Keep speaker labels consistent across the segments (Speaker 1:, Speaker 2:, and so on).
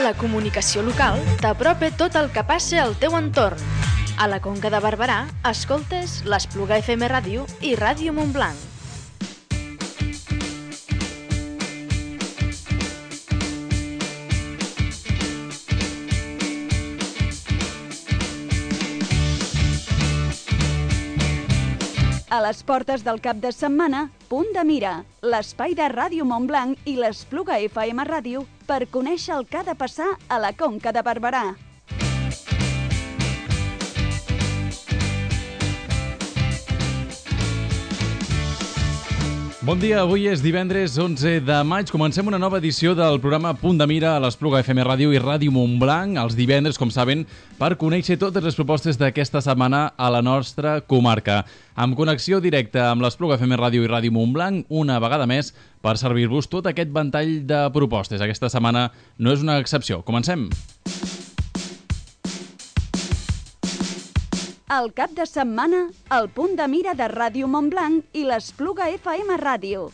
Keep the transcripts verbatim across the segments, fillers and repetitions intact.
Speaker 1: La comunicació local t'apropa tot el que passa al teu entorn. A la Conca de Barberà, escoltes l'Espluga F M Ràdio i Ràdio Montblanc.
Speaker 2: A les portes del cap de setmana, Punt de Mira, l'espai de Ràdio Montblanc i l'Espluga F M Ràdio per conèixer el que ha de passar a la Conca de Barberà.
Speaker 3: Bon dia, avui és divendres onze de maig. Comencem una nova edició del programa Punt de Mira a l'Espluga F M Ràdio i Ràdio Montblanc. Els divendres, com saben, per conèixer totes les propostes d'aquesta setmana a la nostra comarca. Amb connexió directa amb l'Espluga F M Ràdio i Ràdio Montblanc, una vegada més, per servir-vos tot aquest ventall de propostes. Aquesta setmana no és una excepció. Comencem!
Speaker 2: Al cap de setmana, el Punt de Mira de Ràdio Montblanc i l'Espluga F M Ràdio.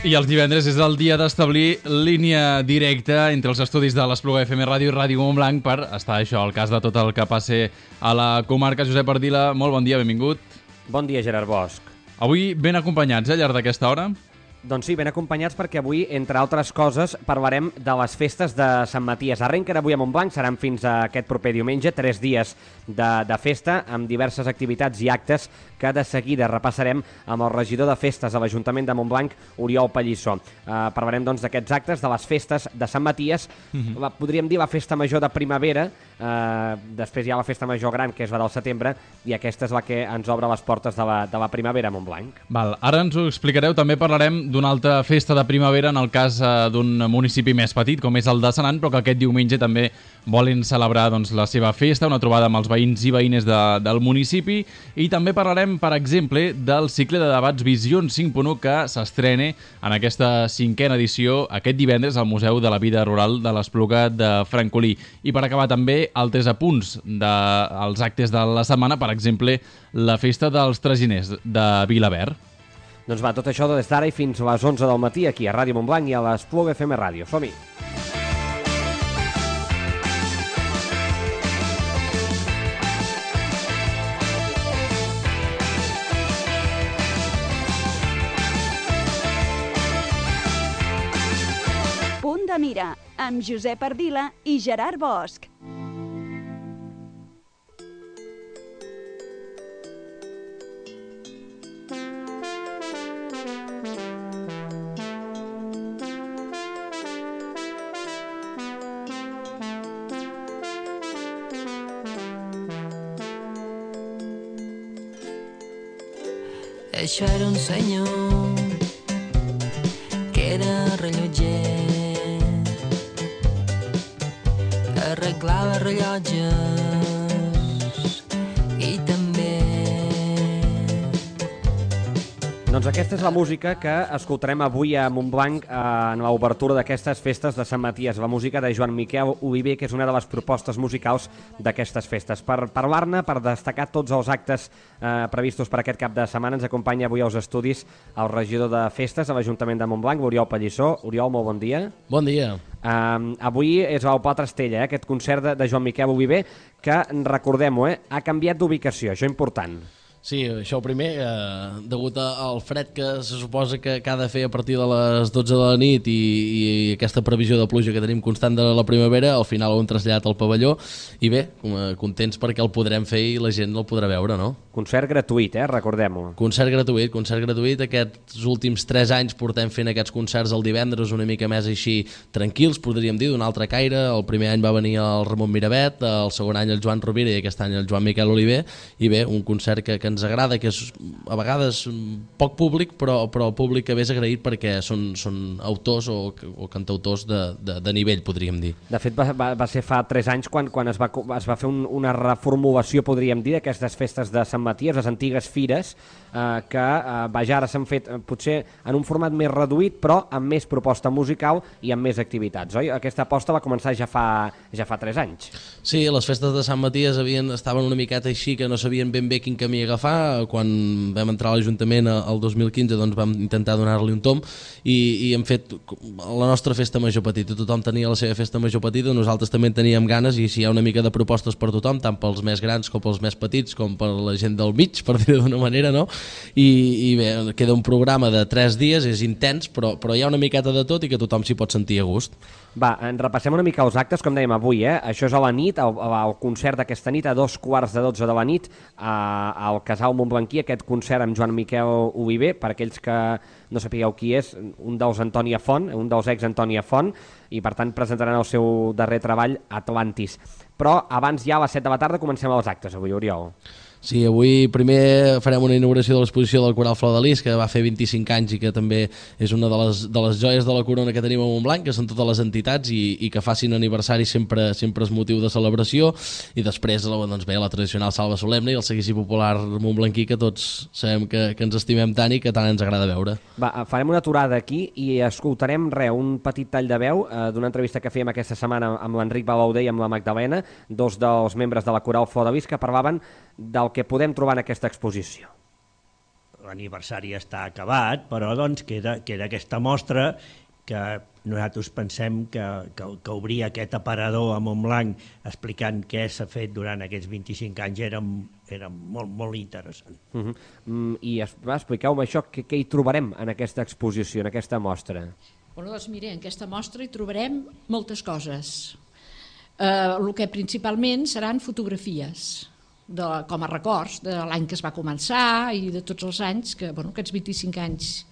Speaker 3: I els divendres és el dia d'establir línia directa entre els estudis de l'Espluga F M Ràdio i Ràdio Montblanc per estar això, al cas de tot el que passi a la comarca. Josep Ardila, molt bon dia, benvingut.
Speaker 4: Bon dia, Gerard Bosch.
Speaker 3: Avui ben acompanyats, eh, al llarg d'aquesta hora?
Speaker 4: Doncs sí, ben acompanyats perquè avui, entre altres coses, parlarem de les festes de Sant Maties. Arrenquen avui a Montblanc, seran fins a aquest proper diumenge, tres dies de, de festa, amb diverses activitats i actes que de seguida repassarem amb el regidor de festes de l'Ajuntament de Montblanc, Oriol Pallissó. Uh, parlarem doncs d'aquests actes, de les festes de Sant Maties, uh-huh. la, podríem dir la festa major de primavera, uh, després hi ha la festa major gran, que és la del setembre, i aquesta és la que ens obre les portes de la, de la primavera a Montblanc.
Speaker 3: Val, ara ens ho explicareu, també parlarem d'una altra festa de primavera en el cas uh, d'un municipi més petit, com és el de Senan, però que aquest diumenge també volen celebrar doncs, la seva festa, una trobada amb els veïns i veïnes de, del municipi, i també parlarem, per exemple, del cicle de debats Visions cinc punt u que s'estrena en aquesta cinquena edició aquest divendres al Museu de la Vida Rural de l'Espluga de Francolí. I per acabar també altres apunts dels actes de la setmana, per exemple, la festa dels traginers de Vilaverd.
Speaker 4: Doncs va, tot això des d'ara i fins a les onze del matí aquí a Ràdio Montblanc i a l'Espluga F M Ràdio. Som-hi!
Speaker 2: Punt de Mira, amb Josep Ardila i Gerard Bosch.
Speaker 5: Això era un senyor que era rellotger, arreglava rellotges i també...
Speaker 4: Doncs aquesta és la música que escoltarem avui a Montblanc en l'obertura d'aquestes festes de Sant Maties, la música de Joan Miquel Oliver, que és una de les propostes musicals d'aquestes festes. Per parlar-ne, per destacar tots els actes eh, previstos per aquest cap de setmana, ens acompanya avui als estudis el regidor de festes de l'Ajuntament de Montblanc, Oriol Pallissó. Oriol, molt bon dia.
Speaker 6: Bon dia.
Speaker 4: Uh, avui és el Pla Trastella, eh, aquest concert de, de Joan Miquel Oliver, que, recordem-ho, eh, ha canviat d'ubicació, això important.
Speaker 6: Sí, això primer, eh, degut al fred que se suposa que, que ha de fer a partir de les dotze de la nit i, i aquesta previsió de pluja que tenim constant de la primavera, al final ho hem traslladat al pavelló i bé, contents perquè el podrem fer i la gent el podrà veure, no?
Speaker 4: Concert gratuït, eh? Recordem-ho.
Speaker 6: Concert gratuït, concert gratuït. Aquests últims tres anys portem fent aquests concerts el divendres una mica més així tranquils, podríem dir, d'un altre caire. El primer any va venir el Ramon Miravet, el segon any el Joan Rovira i aquest any el Joan Miquel Oliver, i bé, un concert que, que ens agrada, que és a vegades poc públic, però, però el públic que ve és agraït perquè són, són autors o, o cantautors de, de, de nivell, podríem dir.
Speaker 4: De fet, va, va, va ser fa tres anys quan, quan es va, es va fer un, una reformulació, podríem dir, d'aquestes festes de Sant Maties, les antigues fires, eh, que eh, vaja, ara s'han fet eh, potser en un format més reduït, però amb més proposta musical i amb més activitats, oi? Aquesta aposta va començar ja fa, ja fa tres anys.
Speaker 6: Sí, les festes de Sant Maties havien, estaven una miqueta així, que no sabien ben bé quin camí agafar. Quan vam entrar a l'Ajuntament el dos mil quinze doncs vam intentar donar-li un tom i, i hem fet la nostra festa major petita. Tothom tenia la seva festa major petita, nosaltres també en teníem ganes i si hi ha una mica de propostes per tothom, tant pels més grans com pels més petits, com per la gent del mig, per dir-ho d'una manera, no? I, i bé, queda un programa de tres dies, és intens, però, però hi ha una miqueta de tot i que tothom s'hi pot sentir a gust.
Speaker 4: Va, en repassem una mica els actes, com dèiem avui, eh? Això és a la nit, el, el concert d'aquesta nit, a dos quarts de dotze de la nit, a, al Casal Montblanquí, aquest concert amb Joan Miquel Oliver, per aquells que no sapigueu qui és, un dels Antònia Font, un dels ex Antònia Font, i per tant presentaran el seu darrer treball, Atlantis. Però abans ja a les set de la tarda comencem els actes, avui, Oriol.
Speaker 6: Sí, avui primer farem una inauguració de l'exposició del Coral Flor de Lis, que va fer vint-i-cinc anys i que també és una de les, de les joies de la corona que tenim a Montblanc, que són totes les entitats i, i que facin aniversari sempre sempre és motiu de celebració. I després doncs bé, la tradicional salva solemne i el seguici popular montblanquí, que tots sabem que, que ens estimem tant i que tant ens agrada veure.
Speaker 4: Va, farem una aturada aquí i escoltarem re, un petit tall de veu eh, d'una entrevista que fèiem aquesta setmana amb l'Enric Balauder i amb la Magdalena, dos dels membres de la Coral Flor de Lis, que parlaven del que podem trobar en aquesta exposició.
Speaker 7: L'aniversari està acabat, però doncs queda, queda aquesta mostra que nosaltres pensem que, que, que obrir aquest aparador a Montblanc explicant què s'ha fet durant aquests vint-i-cinc anys era, era molt, molt interessant.
Speaker 4: Uh -huh. mm, I expliqueu-me això, què, què hi trobarem en aquesta exposició, en aquesta mostra?
Speaker 8: Bueno, doncs mire, en aquesta mostra hi trobarem moltes coses. Eh, el que principalment seran fotografies, de, com a records de l'any que es va començar i de tots els anys, que, bueno, aquests vint-i-cinc anys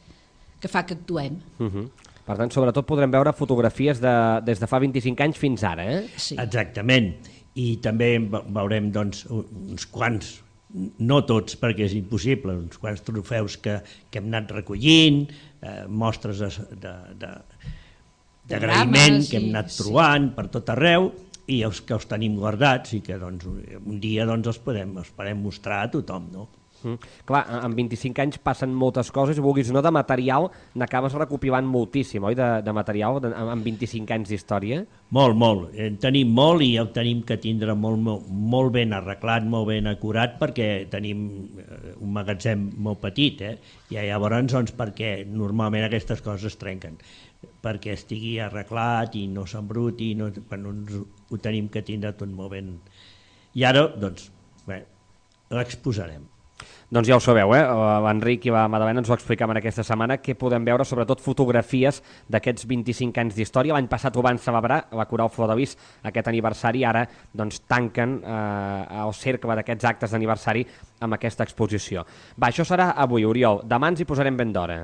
Speaker 8: que fa que actuem.
Speaker 4: Uh -huh. Per tant, sobretot podrem veure fotografies de, des de fa vint-i-cinc anys fins ara, eh?
Speaker 8: Sí.
Speaker 7: Exactament. I també veurem doncs, uns quants, no tots perquè és impossible, uns quants trofeus que, que hem anat recollint, eh, mostres d'agraïment que hem anat trobant sí. per tot arreu, i els que els tenim guardats i que doncs, un dia doncs, els, podem, els podem mostrar a tothom, no?
Speaker 4: Mm. Clar, en vint-i-cinc anys passen moltes coses, vulguis o no, de material n'acabes recopilant moltíssim, oi, de, de material de, en vint-i-cinc anys d'història?
Speaker 7: Molt, molt. En tenim molt i el tenim que tindre molt, molt, molt ben arreglat, molt ben acurat, perquè tenim un magatzem molt petit, eh? I llavors, doncs, perquè normalment aquestes coses es trenquen, perquè estigui arreglat i no s'embruti, no, bueno, ho tenim que tindre tot molt ben. I ara, doncs, bé, l'exposarem.
Speaker 4: Doncs ja ho sabeu, eh? L'Enric i la Madalena ens ho explicaven aquesta setmana, que podem veure sobretot fotografies d'aquests vint-i-cinc anys d'història. L'any passat ho van celebrar, la Coral Flor de Lis, aquest aniversari, ara doncs, tanquen eh, el cercle d'aquests actes d'aniversari amb aquesta exposició. Va, això serà avui, Oriol. Demà ens hi posarem ben d'hora.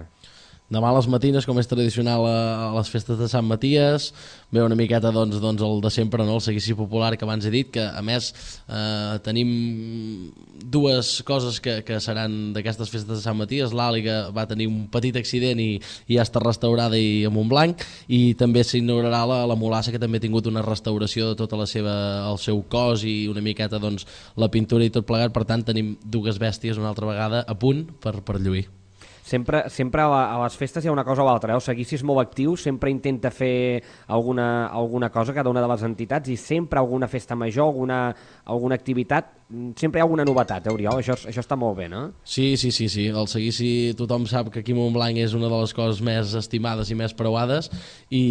Speaker 6: Demà a les matines, com és tradicional a les festes de Sant Maties, ve una miqueta doncs, doncs el de sempre, no? El seguici popular que abans he dit, que a més eh, tenim dues coses que, que seran d'aquestes festes de Sant Maties. L'Àliga va tenir un petit accident i, i ja està restaurada i a Montblanc, i també s'inaugurarà la, la Mulassa, que també ha tingut una restauració de tota la seva, el seu cos i una miqueta doncs, la pintura i tot plegat. Per tant, tenim dues bèsties una altra vegada a punt per, per lluir.
Speaker 4: Sempre, sempre a les festes hi ha una cosa o altra, eh? El Seguici és molt actiu, sempre intenta fer alguna, alguna cosa, cada una de les entitats, i sempre alguna festa major, alguna, alguna activitat, sempre hi ha alguna novetat, eh, Oriol? Això, això està molt bé, no?
Speaker 6: Sí, sí, sí, sí. El Seguici, tothom sap que aquí a Montblanc és una de les coses més estimades i més preuades, i,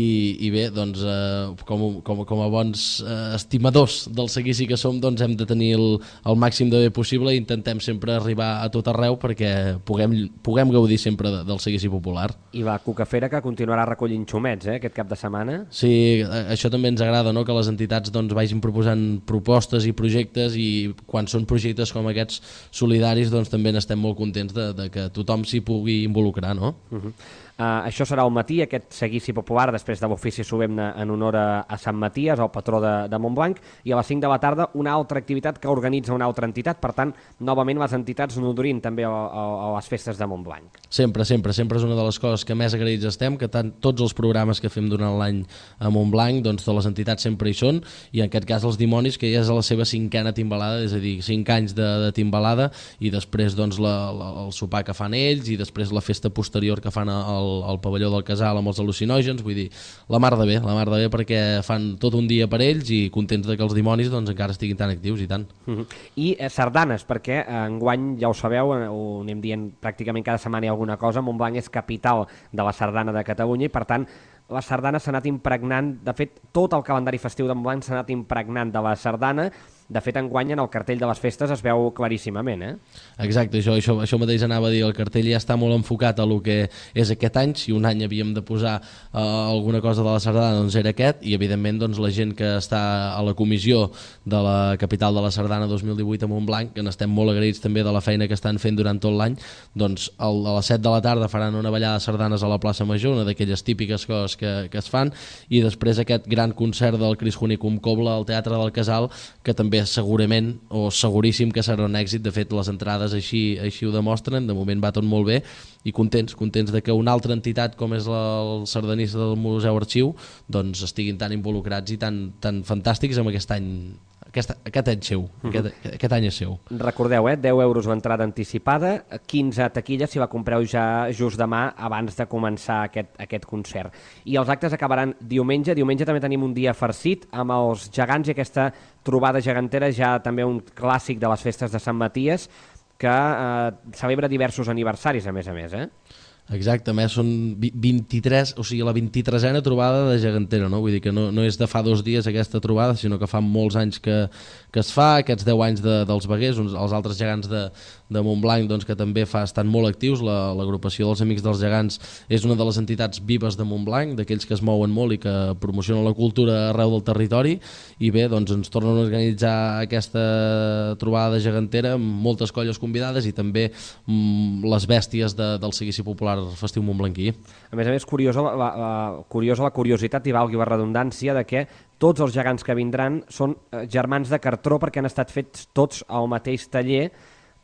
Speaker 6: i bé, doncs, eh, com, com, com a bons eh, estimadors del Seguici que som, doncs hem de tenir el, el màxim de bé possible i intentem sempre arribar a tot arreu perquè puguem, puguem gaudir sempre de, del Seguici popular.
Speaker 4: I la Cucafera, que continuarà recollint xumets, eh, aquest cap de setmana.
Speaker 6: Sí, això també ens agrada, no?, que les entitats doncs, vagin proposant propostes i projectes, i quan són projectes com aquests solidaris doncs, també n'estem molt contents de, de que tothom s'hi pugui involucrar, no?
Speaker 4: Uh-huh. Uh, això serà al matí, aquest Seguici popular, després de l'ofici solemne en honor a, a Sant Maties, el patró de, de Montblanc, i a les cinc de la tarda una altra activitat que organitza una altra entitat. Per tant, novament les entitats nodrint també a, a, a les festes de Montblanc.
Speaker 6: Sempre, sempre, sempre és una de les coses que més agraïts estem, que tant, tots els programes que fem durant l'any a Montblanc, doncs de les entitats sempre hi són, i en aquest cas els Dimonis, que ja és a la seva cinquena timbalada, és a dir, cinc anys de, de timbalada, i després doncs, la, la, el sopar que fan ells, i després la festa posterior que fan al al pavelló del Casal amb els al·lucinògens. Vull dir, la mar de bé, la mar de bé, perquè fan tot un dia per ells i contents de que els Dimonis doncs, encara estiguin tan actius i tant.
Speaker 4: Uh-huh. I eh, sardanes, perquè eh, enguany, ja ho sabeu, eh, ho anem dient pràcticament cada setmana hi ha alguna cosa, Montblanc és capital de la sardana de Catalunya i per tant la sardana s'ha anat impregnant, de fet tot el calendari festiu de Montblanc s'ha anat impregnant de la sardana. De fet, enguany en el cartell de les festes es veu claríssimament, eh?
Speaker 6: Exacte, això, això, això mateix anava a dir, el cartell ja està molt enfocat a lo que és aquest any. Si un any havíem de posar uh, alguna cosa de la sardana, doncs era aquest, i evidentment doncs, la gent que està a la comissió de la capital de la sardana dos mil divuit a Montblanc, que n'estem molt agraïts també de la feina que estan fent durant tot l'any, doncs el, a les set de la tarda faran una ballada de sardanes a la plaça Major, una d'aquelles típiques coses que, que es fan, i després aquest gran concert del Cris Junicum Cobla al Teatre del Casal, que també segurament o seguríssim que serà un èxit. De fet, les entrades així, així ho demostren, de moment va tot molt bé, i contents, contents de que una altra entitat com és la, el sardanista del Museu Arxiu doncs estiguin tan involucrats i tan, tan fantàstics amb aquest any. Aquest, aquest any seu, uh-huh. aquest, aquest any és seu.
Speaker 4: Recordeu, eh, deu euros l'entrada anticipada, quinze a taquilla si la compreu ja just demà abans de començar aquest, aquest concert. I els actes acabaran diumenge. Diumenge també tenim un dia farcit amb els gegants i aquesta trobada gegantera, ja també un clàssic de les festes de Sant Maties, que eh, celebra diversos aniversaris a més a més, eh?
Speaker 6: Exacte, a més són vint-i-tres, o sigui, la vint-i-tresena trobada de gegantera, no? Vull dir que no, no és de fa dos dies aquesta trobada, sinó que fa molts anys que, que es fa, aquests deu anys de, dels Veguers, uns, els altres gegants de, de Montblanc, doncs, que també fa, estan molt actius. La, l'agrupació dels Amics dels Gegants és una de les entitats vives de Montblanc, d'aquells que es mouen molt i que promocionen la cultura arreu del territori, i bé, doncs ens tornen a organitzar aquesta trobada de gegantera amb moltes colles convidades i també mm, les bèsties de, del Seguici Popular festiu montblanquí. A
Speaker 4: més a més, curiosa la, la, la, curiosa la curiositat i valgui la redundància de que tots els gegants que vindran són germans de cartró perquè han estat fets tots al mateix taller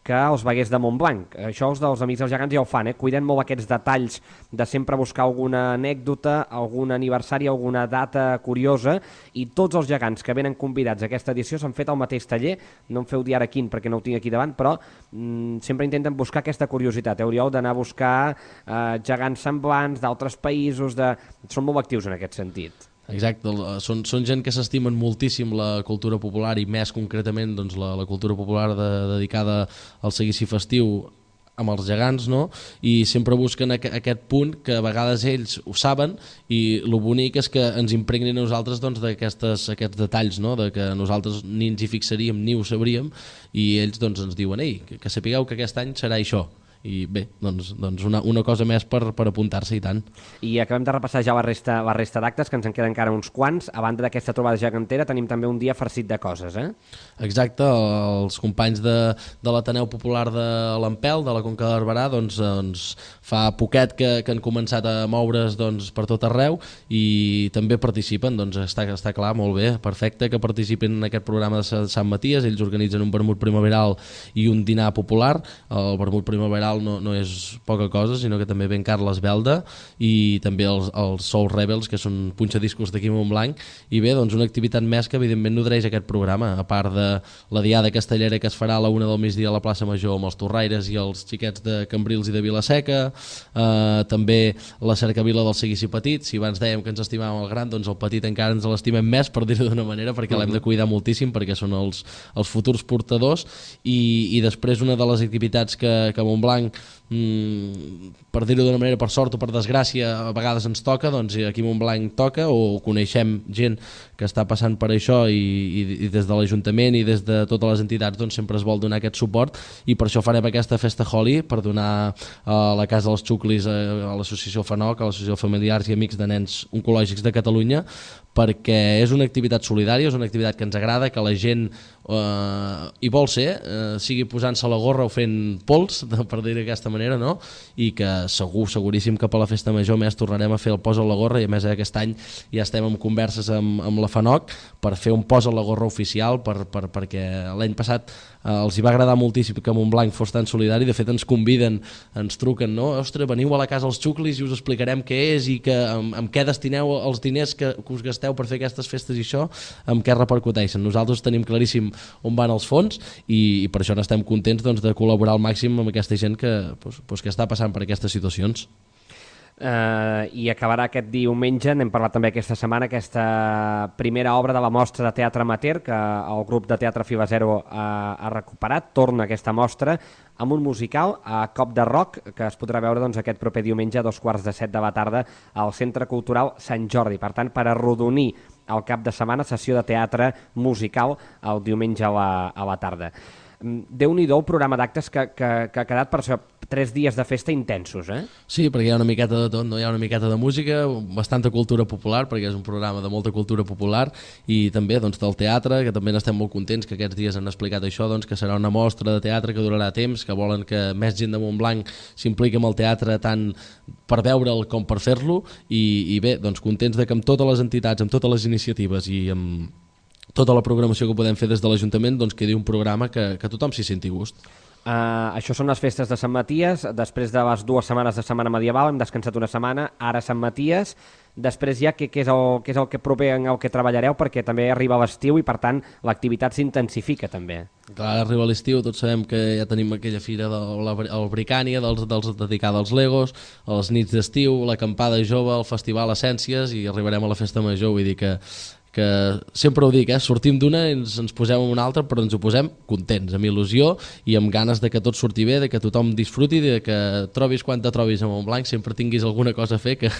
Speaker 4: que els Veguers de Montblanc. Això els dels Amics dels Gegants ja ho fan, eh? Cuiden molt aquests detalls de sempre buscar alguna anècdota, algun aniversari, alguna data curiosa, i tots els gegants que venen convidats a aquesta edició s'han fet al mateix taller. No em feu dir ara quin perquè no ho tinc aquí davant, però mm, sempre intenten buscar aquesta curiositat, eh, Oriol, d'anar a buscar eh, gegants semblants d'altres països, de... són molt actius en aquest sentit.
Speaker 6: Exacte, són, són gent que s'estimen moltíssim la cultura popular i més concretament doncs, la, la cultura popular de, dedicada al seguici festiu amb els gegants, no? I sempre busquen aqu aquest punt que a vegades ells ho saben, i el bonic és que ens impregnin a nosaltres doncs, d'aquests aquests detalls, no? De que nosaltres ni ens hi fixaríem ni ho sabríem, i ells doncs, ens diuen ei, que, que sapigueu que aquest any serà això. I bé, doncs, doncs una, una cosa més per, per apuntar-se, i tant.
Speaker 4: I acabem de repassar ja la resta, la resta d'actes, que ens en queden encara uns quants. A banda d'aquesta trobada gegantera tenim també un dia farcit de coses, eh?
Speaker 6: Exacte, els companys de, de l'Ateneu Popular de l'Ampel, de la Conca de Barberà, doncs, doncs fa poquet que, que han començat a moure's doncs, per tot arreu, i també participen, doncs està, està clar, molt bé, perfecte que participin en aquest programa de Sant Maties. Ells organitzen un vermut primaveral i un dinar popular. El vermut primaveral musical no, no és poca cosa, sinó que també ven Carles Belda i també els, els Soul Rebels, que són punxadiscos d'aquí a Montblanc, i bé, doncs una activitat més que evidentment nodreix aquest programa, a part de la diada castellera que es farà a la una del migdia a la plaça Major amb els torraires i els xiquets de Cambrils i de Vilaseca, eh, també la cercavila del Seguici Petit. Si abans dèiem que ens estimàvem el gran, doncs el petit encara ens l'estimem més, per dir-ho d'una manera, perquè l'hem de cuidar moltíssim, perquè són els, els futurs portadors. I, i després una de les activitats que, que a Montblanc, mmm, per dir-ho d'una manera, per sort o per desgràcia, a vegades ens toca, doncs aquí a Montblanc toca, o coneixem gent que està passant per això, i, i, i des de l'Ajuntament i des de totes les entitats doncs sempre es vol donar aquest suport, i per això farem aquesta festa Holi, per donar a la Casa dels Xuclis, a l'associació FANOC, a l'associació Familiars i Amics de Nens Oncològics de Catalunya, perquè és una activitat solidària, és una activitat que ens agrada, que la gent eh, hi vol ser, eh, sigui posant-se la gorra o fent pols, per dir-ho d'aquesta manera, no? I que segur, seguríssim que per la festa major més tornarem a fer el pos a la gorra, i a més aquest any ja estem en converses amb, amb la FANOC per fer un pos a la gorra oficial, per, per, perquè l'any passat eh, els hi va agradar moltíssim que Montblanc fos tan solidari. De fet ens conviden, ens truquen, no? Ostres, veniu a la Casa dels Xuclis i us explicarem què és i que, amb, amb què destineu els diners que, que us gasteu per fer aquestes festes, i això amb què repercuteixen. Nosaltres tenim claríssim on van els fons, i, i per això n'estem contents, doncs, de col·laborar al màxim amb aquesta gent que, doncs, doncs, que està passant per aquestes situacions.
Speaker 4: Uh, i acabarà aquest diumenge, n'hem parlat també aquesta setmana, aquesta primera obra de la mostra de teatre amateur que el grup de teatre Fiba Zero ha, ha recuperat. Torna aquesta mostra amb un musical a cop de rock que es podrà veure doncs, aquest proper diumenge a dos quarts de set de la tarda al Centre Cultural Sant Jordi. Per tant, per arrodonir el cap de setmana, sessió de teatre musical el diumenge a la, a la tarda. Déu-n'hi-do el programa d'actes que, que, que ha quedat per això, tres dies de festa intensos, eh?
Speaker 6: Sí, perquè hi ha una miqueta de tot, no? Hi ha una miqueta de música, bastanta cultura popular, perquè és un programa de molta cultura popular, i també doncs, del teatre, que també n'estem molt contents, que aquests dies han explicat això, doncs, que serà una mostra de teatre que durarà temps, que volen que més gent de Montblanc s'impliqui amb el teatre tant per veure'l com per fer-lo, i, i bé, doncs contents de que amb totes les entitats, amb totes les iniciatives i amb tota la programació que podem fer des de l'Ajuntament, doncs quedi un programa que, que tothom s'hi senti gust.
Speaker 4: Uh, això són les festes de Sant Maties. Després de les dues setmanes de Setmana Medieval hem descansat una setmana, ara Sant Maties. Després ja què, què, és el, què és el que proper en el que treballareu, perquè també arriba l'estiu i per tant l'activitat s'intensifica també.
Speaker 6: Clar, arriba l'estiu, tots sabem que ja tenim aquella fira del Bricània, dels, dels dedicada als Legos, els nits d'estiu, l'acampada jove, el festival Essències, i arribarem a la festa major. Vull dir que que sempre ho dic, eh? Sortim d'una i ens, ens posem en una altra, però ens ho posem contents, amb il·lusió i amb ganes de que tot surti bé, de que tothom disfruti, de que trobis quan te trobis a Montblanc, sempre tinguis alguna cosa a fer, que,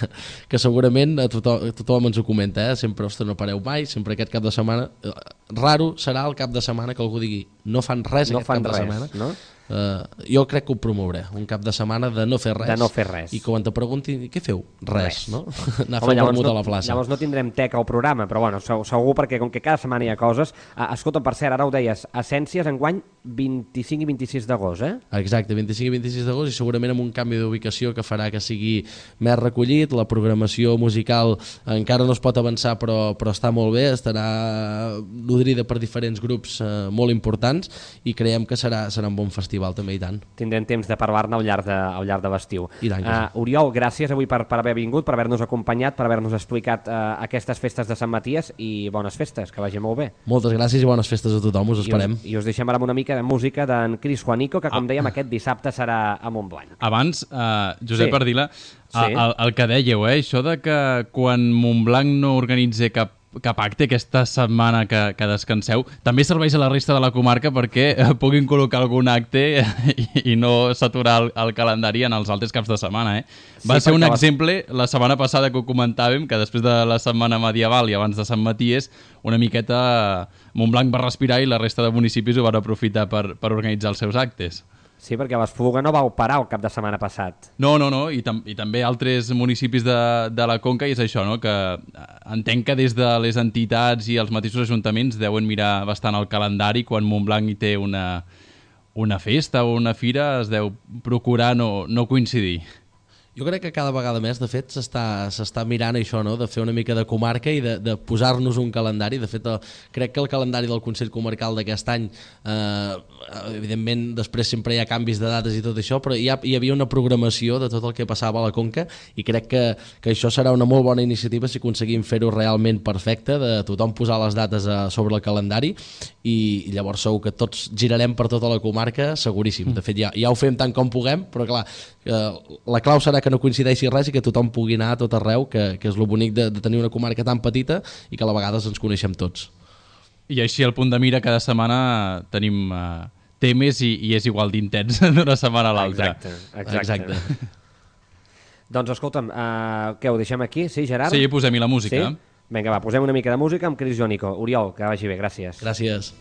Speaker 6: que segurament a tothom, a tothom ens ho comenta, eh? Sempre, ostres, no pareu mai, sempre aquest cap de setmana, eh, raro serà el cap de setmana que algú digui no fan res no aquest fan cap res, de setmana, no? Uh, jo crec que ho promouré, un cap de setmana de no fer res,
Speaker 4: de no fer res.
Speaker 6: I quan te preguntin què feu? Res, res. No? Anar
Speaker 4: Home,
Speaker 6: a fer un vermut
Speaker 4: no,
Speaker 6: a la plaça.
Speaker 4: Llavors no tindrem teca al programa, però bueno, segur, perquè com que cada setmana hi ha coses. Uh, escolta, per cert, ara ho deies, Essències enguany vint-i-cinc i vint-i-sis d'agost, eh?
Speaker 6: Exacte, vint-i-cinc i vint-i-sis d'agost, i segurament amb un canvi d'ubicació que farà que sigui més recollit. La programació musical encara no es pot avançar, però, però està molt bé, estarà nodrida per diferents grups eh, molt importants, i creiem que serà, serà un bon festival també, i tant.
Speaker 4: Tindrem temps de parlar-ne al llarg de, al llarg de l'estiu.
Speaker 6: Uh,
Speaker 4: Oriol, gràcies avui per, per haver vingut, per haver-nos acompanyat, per haver-nos explicat uh, aquestes festes de Sant Maties, i bones festes, que vagi molt bé.
Speaker 6: Moltes gràcies i bones festes a tothom, us esperem.
Speaker 4: I, I us deixem ara amb una mica de música d'en Cris Juanico, que com ah. dèiem aquest dissabte serà a Montblanc.
Speaker 3: Abans, uh, Josep
Speaker 4: sí.
Speaker 3: Ardila,
Speaker 4: sí.
Speaker 3: el, el que dèieu, eh, això de que quan Montblanc no organitza cap cap acte aquesta setmana que, que descanseu, també serveix a la resta de la comarca perquè puguin col·locar algun acte i, i no saturar el, el calendari en els altres caps de setmana. Eh? Va sí, ser un exemple vas... la setmana passada que ho comentàvem, que després de la setmana medieval i abans de Sant Maties, una miqueta Montblanc va respirar i la resta de municipis ho van aprofitar per, per organitzar els seus actes.
Speaker 4: Sí, perquè l'Espluga no vau parar el cap de setmana passat.
Speaker 3: No, no, no, i, tam i també altres municipis de, de la Conca, i és això, no? Que entenc que des de les entitats i els mateixos ajuntaments deuen mirar bastant el calendari quan Montblanc hi té una, una festa o una fira, es deu procurar no, no coincidir.
Speaker 6: Jo crec que cada vegada més, de fet, s'està s'està mirant això, no? De fer una mica de comarca i de, de posar-nos un calendari. De fet, el, crec que el calendari del Consell Comarcal d'aquest any, eh, evidentment, després sempre hi ha canvis de dates i tot això, però hi, ha, hi havia una programació de tot el que passava a la Conca i crec que, que això serà una molt bona iniciativa si aconseguim fer-ho realment perfecte, de tothom posar les dates a, sobre el calendari i, i llavors segur que tots girarem per tota la comarca, seguríssim. De fet, ja, ja ho fem tant com puguem, però clar, eh, la clau serà que no coincideixi res i que tothom pugui anar a tot arreu, que, que és lo bonic de, de tenir una comarca tan petita i que a la vegades ens coneixem tots.
Speaker 3: I així al Punt de Mira cada setmana tenim uh, temes i, i és igual d'intens d'una setmana a l'altra.
Speaker 4: Exacte, exacte. exacte. Doncs escolta'm, uh, què, ho deixem aquí? Sí, Gerard?
Speaker 3: Sí, posem-hi la música.
Speaker 4: Sí? Vinga, va, posem una mica de música amb Cris Jónico. Oriol, que vagi bé, gràcies.
Speaker 6: Gràcies.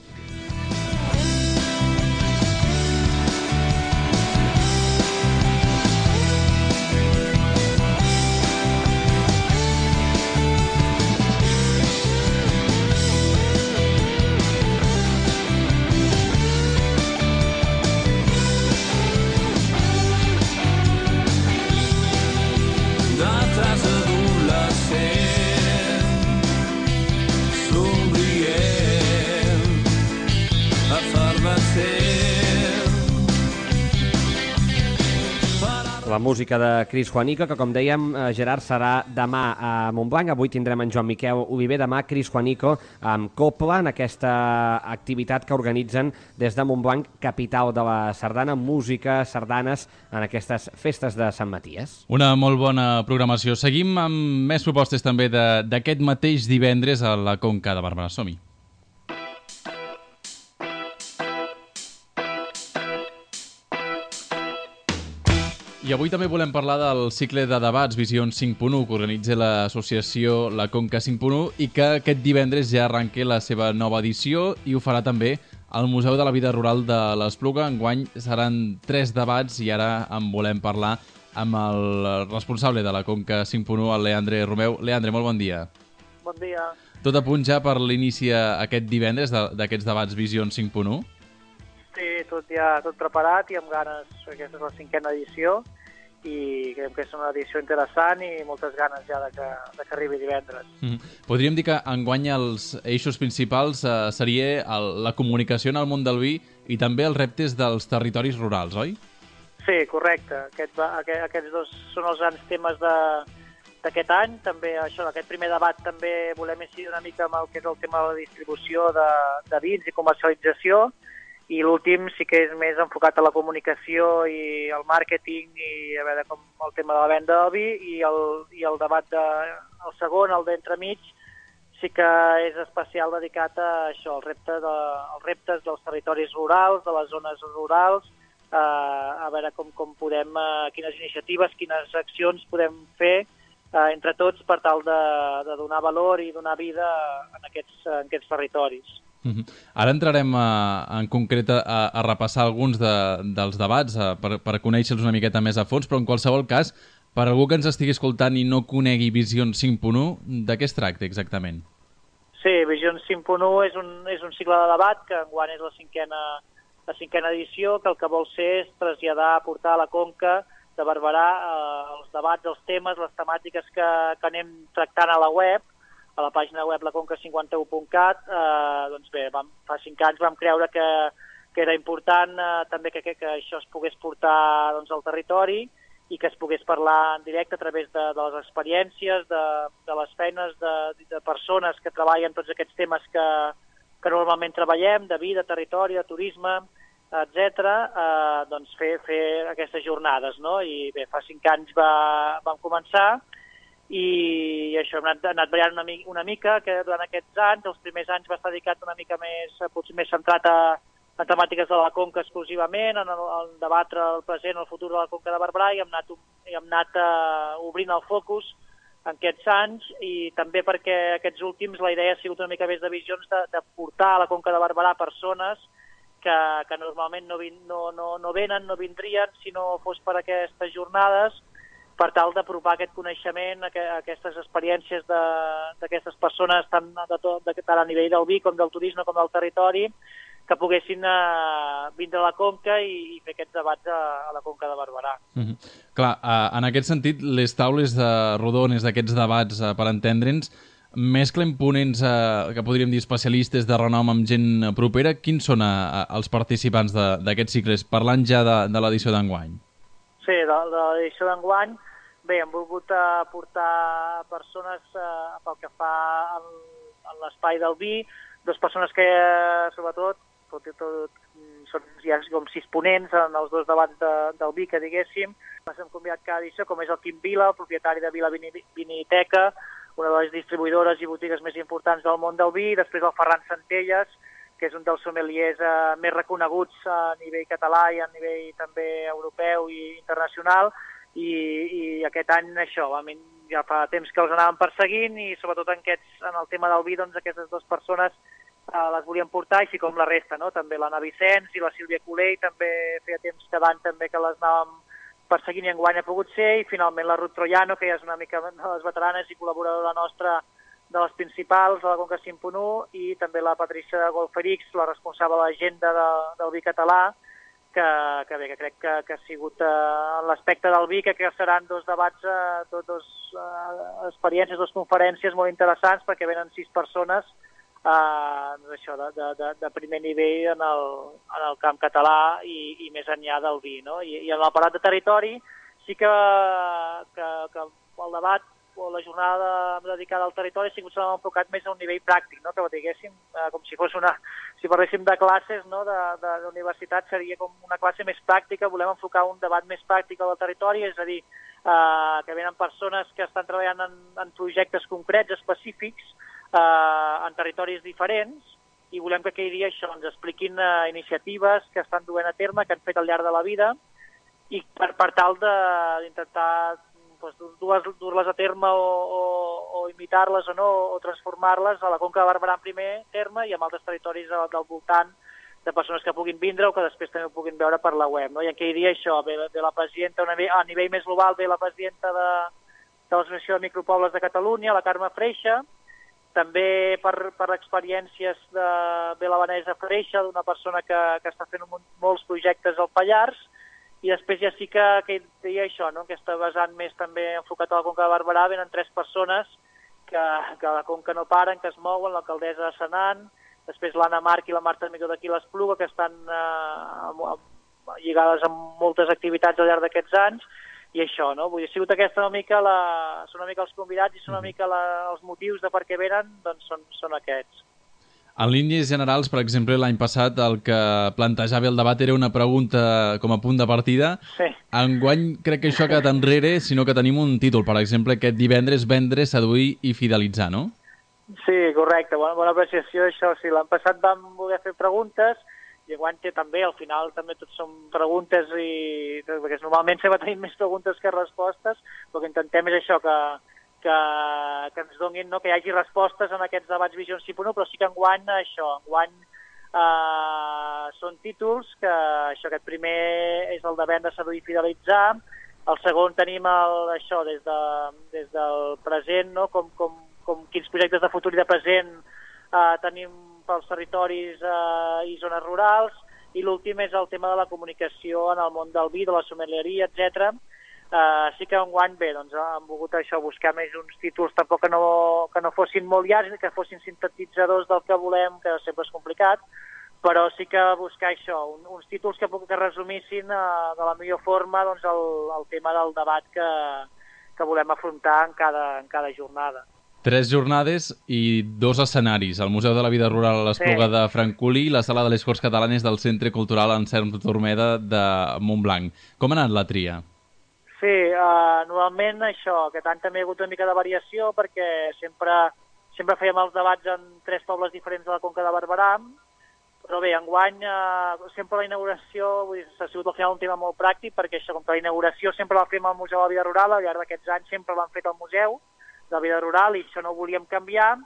Speaker 4: La música de Cris Juanico, que com dèiem, Gerard, serà demà a Montblanc. Avui tindrem en Joan Miquel Oliver, demà Cris Juanico amb Copla en aquesta activitat que organitzen des de Montblanc, capital de la sardana, música, sardanes en aquestes festes de Sant Maties.
Speaker 3: Una molt bona programació. Seguim amb més propostes també d'aquest mateix divendres a la Conca de Barberà. Som-hi. I avui també volem parlar del cicle de debats Visions cinc punt u que organitza l'associació La Conca cinc punt u i que aquest divendres ja arranca la seva nova edició i ho farà també al Museu de la Vida Rural de l'Espluga. Enguany seran tres debats i ara en volem parlar amb el responsable de la Conca cinc punt u, el Leandre Romeu. Leandre, molt bon dia.
Speaker 9: Bon dia.
Speaker 3: Tot a punt ja per l'inici aquest divendres d'aquests debats Visions cinc punt u?
Speaker 9: Sí, tot ja tot preparat i amb ganes. Aquesta és la cinquena edició i creiem que és una edició interessant i moltes ganes ja de que, de que arribi divendres.
Speaker 3: Mm-hmm. Podríem dir que enguany els eixos principals eh, seria el, la comunicació en el món del vi i també els reptes dels territoris rurals, oi?
Speaker 9: Sí, correcte. Aquest, aquest, aquests dos són els grans temes de, d'aquest any. També això, aquest primer debat també volem incidir una mica amb el que és el tema de la distribució de, de vins i comercialització. I l'últim sí que és més enfocat a la comunicació i el màrqueting i a veure com el tema de la venda del vi i el, i el debat de, el segon, el d'entremig, sí que és especial dedicat a això, al repte de, als reptes dels territoris rurals, de les zones rurals, eh, a veure com, com podem, eh, quines iniciatives, quines accions podem fer eh, entre tots per tal de, de donar valor i donar vida en aquests, en aquests territoris.
Speaker 3: Uh-huh. Ara entrarem a, en concret a, a repassar alguns de, dels debats a, per, per conèixer-los una miqueta més a fons, però en qualsevol cas, per algú que ens estigui escoltant i no conegui Visions cinc punt u, de què es tracta exactament?
Speaker 9: Sí, Visions cinc punt u és un, és un cicle de debat que enguany és la cinquena, la cinquena edició, que el que vol ser és traslladar, portar a la Conca de Barberà eh, els debats, els temes, les temàtiques que, que anem tractant a la web, a la pàgina web la conca cinquanta u punt cat, eh, doncs bé, vam, fa cinc anys vam creure que, que era important eh, també que, que, que això es pogués portar doncs, al territori i que es pogués parlar en directe a través de, de les experiències, de, de les feines de, de persones que treballen tots aquests temes que, que normalment treballem, de vida, territori, de turisme, etcètera, eh, doncs fer, fer aquestes jornades, no? I bé, fa cinc anys va, vam començar i això hem anat, anat variant una, una mica, que durant aquests anys, els primers anys va estar dedicat una mica més, potser més centrat a, a temàtiques de la Conca exclusivament, en, el, en debatre el present, el futur de la Conca de Barberà, i hem anat, i hem anat uh, obrint el focus en aquests anys, i també perquè aquests últims la idea ha sigut una mica més de visions de, de portar a la Conca de Barberà persones que, que normalment no, vin, no, no, no venen, no vindrien si no fos per aquestes jornades, per tal d'apropar aquest coneixement, aquestes experiències d'aquestes persones tant, de tot, de, tant a nivell del vi com del turisme com del territori, que poguessin eh, vindre a la Conca i, i fer aquests debats a, a la Conca de Barberà.
Speaker 3: Mm-hmm. Clar, eh, en aquest sentit, les taules de rodones d'aquests debats, eh, per entendre'ns, mesclen ponents eh, que podríem dir especialistes de renom amb gent propera. Quins són eh, els participants d'aquests cicles, parlant ja de, de l'edició d'enguany?
Speaker 9: Sí, de, de l'edició d'enguany, bé, hem volgut aportar persones eh, pel que fa en, en l'espai del vi, dues persones que, sobretot, tot i tot, són ja com sis ponents en els dos debats de, del vi, que diguéssim. Ens hem convidat cada edició, com és el Quim Vila, el propietari de Vila Viniteca, una de les distribuïdores i botigues més importants del món del vi, i després el Ferran Centelles, que és un dels sommeliers eh, més reconeguts a nivell català i a nivell també europeu i internacional, i, i aquest any això, ja fa temps que els anàvem perseguint, i sobretot en, aquests, en el tema del vi, doncs aquestes dues persones eh, les volíem portar, així com la resta, no? També l'Anna Vicenç i la Sílvia Colell, també feia temps cada any també que les anàvem perseguint i enguany ha pogut ser, i finalment la Ruth Troiano, que ja és una mica de les veteranes i col·laboradora nostra de les principals de la Conca cinc punt u, i també la Patricia Golferix, la responsable de l'agenda de, del vi català, que, que bé, que crec que, que ha sigut eh, en l'aspecte del vi, que, que seran dos debats, eh, dos, dos eh, experiències, dos conferències molt interessants, perquè venen sis persones eh, doncs això, de, de, de, de primer nivell en el, en el camp català i, i més enllà del vi, no? I, i en l'aparat de territori sí que, que, que el debat o la jornada dedicada al territori sí que s'ha enfocat més a un nivell pràctic, no? Que ho diguéssim, eh, com si fos una, si parléssim de classes, no? de, de, d'universitat, seria com una classe més pràctica, volem enfocar un debat més pràctic al territori, és a dir, eh, que venen persones que estan treballant en, en projectes concrets, específics, eh, en territoris diferents, i volem que aquell dia això ens expliquin eh, iniciatives que estan duent a terme, que han fet al llarg de la vida, i per, per tal d'intentar doncs, dur-les a terme o, o, o imitar-les o no, o transformar-les a la Conca de Barberà en primer terme i en altres territoris del voltant, de persones que puguin vindre o que després també ho puguin veure per la web. No? I aquell dia això, ve, ve la presidenta, a nivell més global, ve la presidenta de, de l'Associació de Micropobles de Catalunya, la Carme Freixa, també per, per experiències de, ve la Vanessa Freixa, d'una persona que, que està fent un, molts projectes al Pallars, i després ja sí que, que deia això, no? Aquesta vessant més també enfocat a la Conca de Barberà, venen tres persones que, que a la Conca no paren, que es mouen, l'alcaldessa de Senan, després l'Anna Marc i la Marta Amigó d'aquí l'Espluga, que estan eh, lligades amb moltes activitats al llarg d'aquests anys, i això, no? Vull dir, ha sigut aquesta una mica, la, són una mica els convidats i són una mica la, els motius de per què venen, doncs són, són aquests.
Speaker 3: En línies generals, per exemple, l'any passat el que plantejava el debat era una pregunta com a punt de partida.
Speaker 9: Sí.
Speaker 3: Enguany crec que això ha quedat enrere, sinó que tenim un títol, per exemple, aquest divendres, vendre, seduir i fidelitzar, no?
Speaker 9: Sí, correcte, bona, bona apreciació, això. Sí, l'any passat vam voler fer preguntes i enguany té també, al final també tot són preguntes, i perquè normalment sempre tenim més preguntes que respostes, però que intentem és això, que Que, que ens donin, no? Que hi hagi respostes en aquests debats Vision cinc punt u, però sí que enguany això, enguany eh, són títols, que això, aquest primer és el de vendre, seduir i fidelitzar, el segon tenim el, això des, de, des del present, no? com, com, com quins projectes de futur i de present eh, tenim pels territoris eh, i zones rurals, i l'últim és el tema de la comunicació en el món del vi, de la sommelieria, etcètera. Uh, sí que enguany, bé, doncs hem volgut això, buscar més uns títols tampoc que no, que no fossin molt llargs, que fossin sintetitzadors del que volem, que sempre és complicat, però sí que buscar això, un, uns títols que, que resumissin uh, de la millor forma doncs, el, el tema del debat que, que volem afrontar en cada, en cada jornada.
Speaker 3: Tres jornades i dos escenaris, el Museu de la Vida Rural a l'Espluga sí. de Francolí i la Sala de les Corts Catalanes del Centre Cultural Anselm Turmeda de Montblanc. Com ha anat la tria?
Speaker 9: Sí, uh, normalment això, aquest any també ha hagut una mica de variació perquè sempre, sempre fèiem els debats en tres pobles diferents de la Conca de Barberà, però bé, enguany uh, sempre la inauguració, vull dir, ha sigut al final un tema molt pràctic perquè això, com que la inauguració sempre la fem al Museu de la Vida Rural, al llarg d'aquests anys sempre l'han fet al Museu de la Vida Rural i això no ho volíem canviar,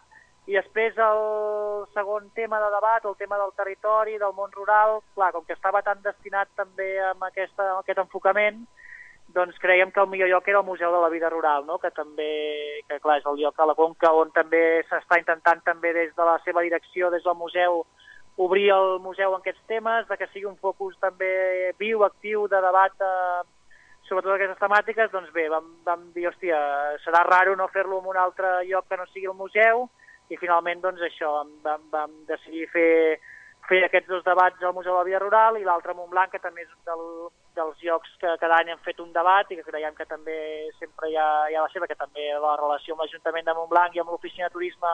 Speaker 9: i després el segon tema de debat, el tema del territori, del món rural, clar, com que estava tan destinat també amb, aquesta, amb aquest enfocament, doncs creiem que el millor lloc era el Museu de la Vida Rural, no? Que també, que clar, és el lloc a la Conca on també s'està intentant també des de la seva direcció, des del museu, obrir el museu en aquests temes, de que sigui un focus també viu, actiu, de debat eh, sobre totes aquestes temàtiques, doncs bé, vam, vam dir, hòstia, serà raro no fer-lo en un altre lloc que no sigui el museu, i finalment, doncs això, vam, vam, vam decidir fer, fer aquests dos debats al Museu de la Vida Rural i l'altre a Montblanc, que també és un del, dels llocs que cada any hem fet un debat i que creiem que també sempre hi ha, hi ha la seva, que també la relació amb l'Ajuntament de Montblanc i amb l'Oficina de Turisme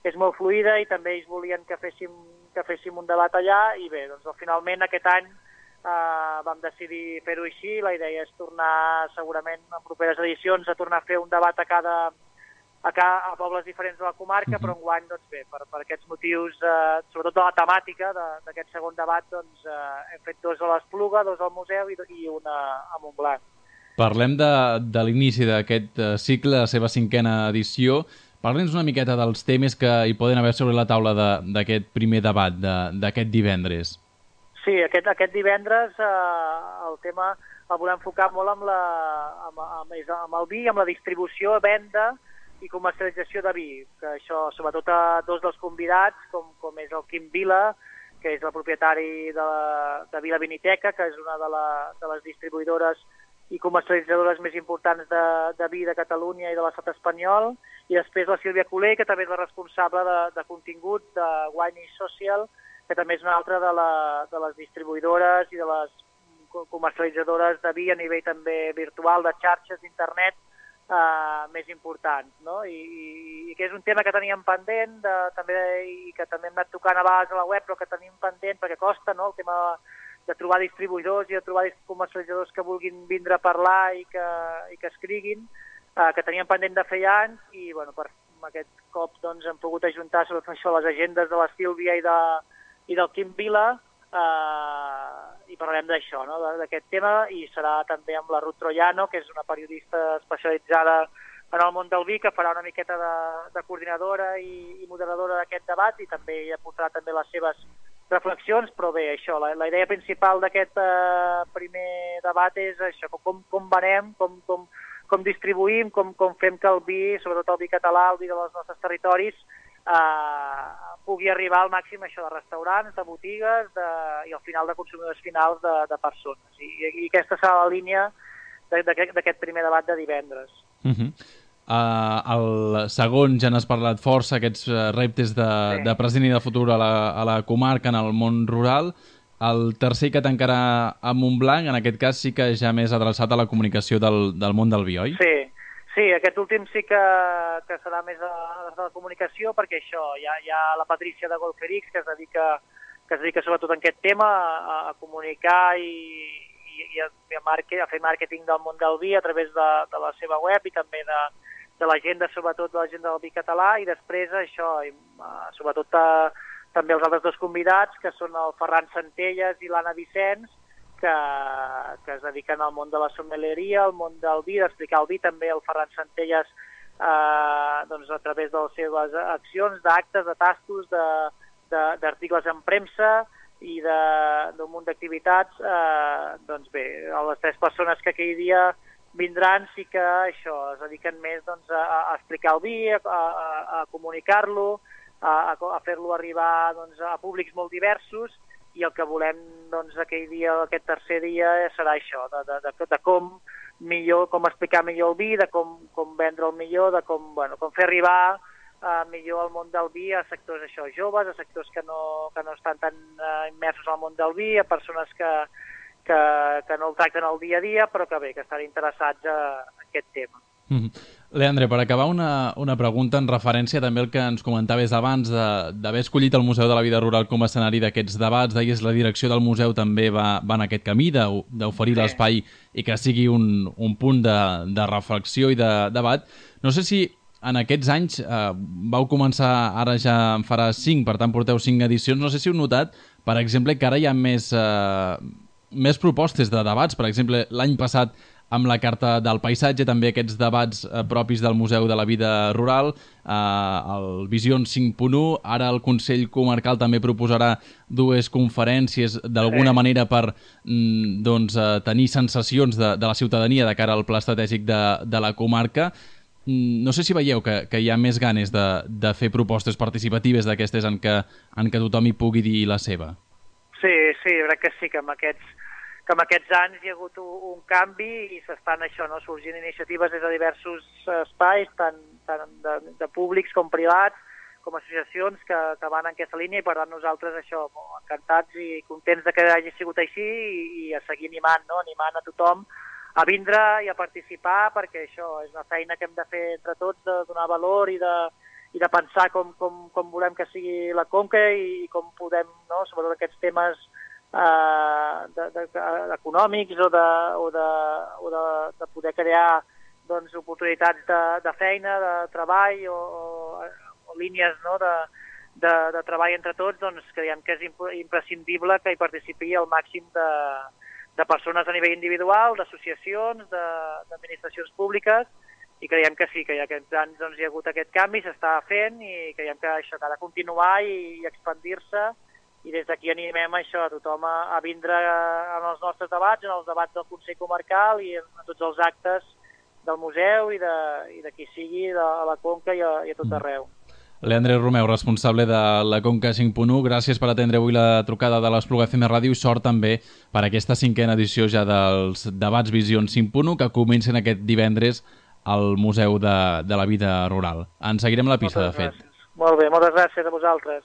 Speaker 9: és molt fluida i també ells volien que féssim, que féssim un debat allà i bé, doncs finalment aquest any eh, vam decidir fer-ho així. La idea és tornar segurament en properes edicions a tornar a fer un debat a cada, a, cada, a pobles diferents de la comarca, uh-huh. però enguany, doncs bé, per, per aquests motius, eh, sobretot de la temàtica d'aquest segon debat, doncs eh, hem fet dos a l'Espluga, dos al museu i, i una a Montblanc.
Speaker 3: Parlem de, de l'inici d'aquest cicle, la seva cinquena edició. Parlem-nos una miqueta dels temes que hi poden haver sobre la taula d'aquest primer debat, d'aquest divendres.
Speaker 9: Sí, aquest, aquest divendres eh, el tema el volem enfocar molt amb, la, amb, amb, amb el vi, amb la distribució, venda i comercialització de vi. Que això, sobretot a dos dels convidats, com, com és el Quim Vila, que és el propietari de, la, de Vila Viniteca, que és una de, la, de les distribuïdores i comercialitzadores més importants de, de vi de Catalunya i de l'estat espanyol, i després la Sílvia Coler, que també és la responsable de, de contingut de Wine is Social, que també és una altra de, la, de les distribuïdores i de les comercialitzadores de vi a nivell també virtual, de xarxes d'internet eh, més importants, no? I, i, i que és un tema que teníem pendent de, també, i que també hem anat tocant a vegades a la web, però que tenim pendent perquè costa, no?, el tema de trobar distribuïdors i de trobar comercialitzadors que vulguin vindre a parlar i que, i que escriguin, eh, que teníem pendent de fer anys, i bueno, per aquest cop doncs, hem pogut ajuntar sobretot això, les agendes de la Sílvia i, de, i del Quim Vila, eh, i parlarem d'això, no?, d'aquest tema, i serà també amb la Ruth Troiano, que és una periodista especialitzada en el món del vi, que farà una miqueta de, de coordinadora i, i moderadora d'aquest debat, i també hi aportarà també les seves reflexions, però bé, això, la, la idea principal d'aquest eh, primer debat és això, com, com venem, com, com, com distribuïm, com, com fem que el vi, sobretot el vi català, el vi dels nostres territoris, eh, pugui arribar al màxim això de restaurants, de botigues de, i al final de consumidors finals de, de persones. I, i aquesta serà la línia d'aquest primer debat de divendres.
Speaker 3: Uh-huh. Uh, el segon ja n'has parlat força, aquests uh, reptes de, sí. de present i de futur a la, a la comarca, en el món rural. El tercer que tancarà a Montblanc, en aquest cas sí que ja més adreçat a la comunicació del, del món del vi, oi?
Speaker 9: Sí, sí, aquest últim sí que, que serà més a, a la comunicació, perquè això, hi ha, hi ha la Patrícia de Golferix, que es dedica, que es dedica sobretot en aquest tema a, a comunicar i, i, i a, a, marque, a fer màrqueting del món del vi a través de, de la seva web i també de de l'agenda, sobretot de l'agenda del vi català, i després això, i, uh, sobretot uh, també els altres dos convidats, que són el Ferran Centelles i l'Anna Vicenç, que, que es dediquen al món de la sommelieria, al món del vi, d'explicar el vi. També el Ferran Centelles, uh, doncs, a través de les seves accions, d'actes, de tastos, d'articles en premsa i d'un munt d'activitats, uh, doncs bé, les tres persones que aquell dia vindran sí que això, es dediquen més doncs, a, a explicar el vi, a, a, a comunicar-lo, a, a fer-lo arribar doncs, a públics molt diversos, i el que volem doncs, aquell dia, aquest tercer dia, serà això, de, de, de, de com millor, com explicar millor el vi, de com, com vendre el millor, de com, bueno, com fer arribar uh, millor el món del vi a sectors això, joves, a sectors que no, que no estan tan uh, immersos al món del vi, a persones que Que, que no el tracten al dia a dia, però que bé, que estan interessats a, a aquest tema.
Speaker 3: Mm-hmm. Leandre, per acabar, una, una pregunta en referència també al que ens comentaves abans d'haver escollit el Museu de la Vida Rural com a escenari d'aquests debats. Deies, la direcció del museu també va, va en aquest camí d'oferir sí. l'espai i que sigui un, un punt de, de reflexió i de debat. No sé si en aquests anys eh, vau començar, ara ja en farà cinc, per tant porteu cinc edicions, no sé si heu notat, per exemple, que ara hi ha més... Eh, més propostes de debats. Per exemple, l'any passat amb la Carta del Paisatge, també aquests debats eh, propis del Museu de la Vida Rural, eh, el Visions cinc punt u, ara el Consell Comarcal també proposarà dues conferències d'alguna sí. manera per mm, doncs, eh, tenir sensacions de, de la ciutadania de cara al pla estratègic de, de la comarca. no sé si veieu que, que hi ha més ganes de, de fer propostes participatives d'aquestes en, que, en què tothom hi pugui dir la seva.
Speaker 9: Sí, sí, crec que sí, que amb aquests, que amb aquests anys hi ha hagut un, un canvi i s'estan això, no, sorgint iniciatives des de diversos espais, tant, tant de, de públics com privats, com associacions que, que van en aquesta línia, i per tant nosaltres això, encantats i contents de que hagi sigut així i, i a seguir animant, no? animant a tothom a vindre i a participar, perquè això és una feina que hem de fer entre tots, de donar valor i de, i de pensar com, com, com volem que sigui la Conca i, i com podem, no? sobretot aquests temes eh, de, de, de, econòmics o, de, o, de, o de, de poder crear doncs, oportunitats de, de feina, de treball o, o, o línies, no? de, de, de treball entre tots, doncs creiem que és imp imprescindible que hi participi el màxim de, de persones a nivell individual, d'associacions, d'administracions públiques, i creiem que sí, que ja aquests anys doncs, hi ha hagut aquest canvi, s'està fent, i creiem que això que ha de continuar i, i expandir-se, i des d'aquí animem això a tothom a, a vindre en els nostres debats, en els debats del Consell Comarcal i en, en tots els actes del museu i de, i de qui sigui, de a la Conca i a, i a tot arreu.
Speaker 3: Leandre Romeu, responsable de la Conca cinc punt u, gràcies per atendre avui la trucada de l'Espluga F M Ràdio i sort també per aquesta cinquena edició ja dels debats Visions cinc punt u que comencen aquest divendres al Museu de, de la Vida Rural. En seguirem la pista, de fet.
Speaker 9: Molt bé, moltes gràcies a vosaltres.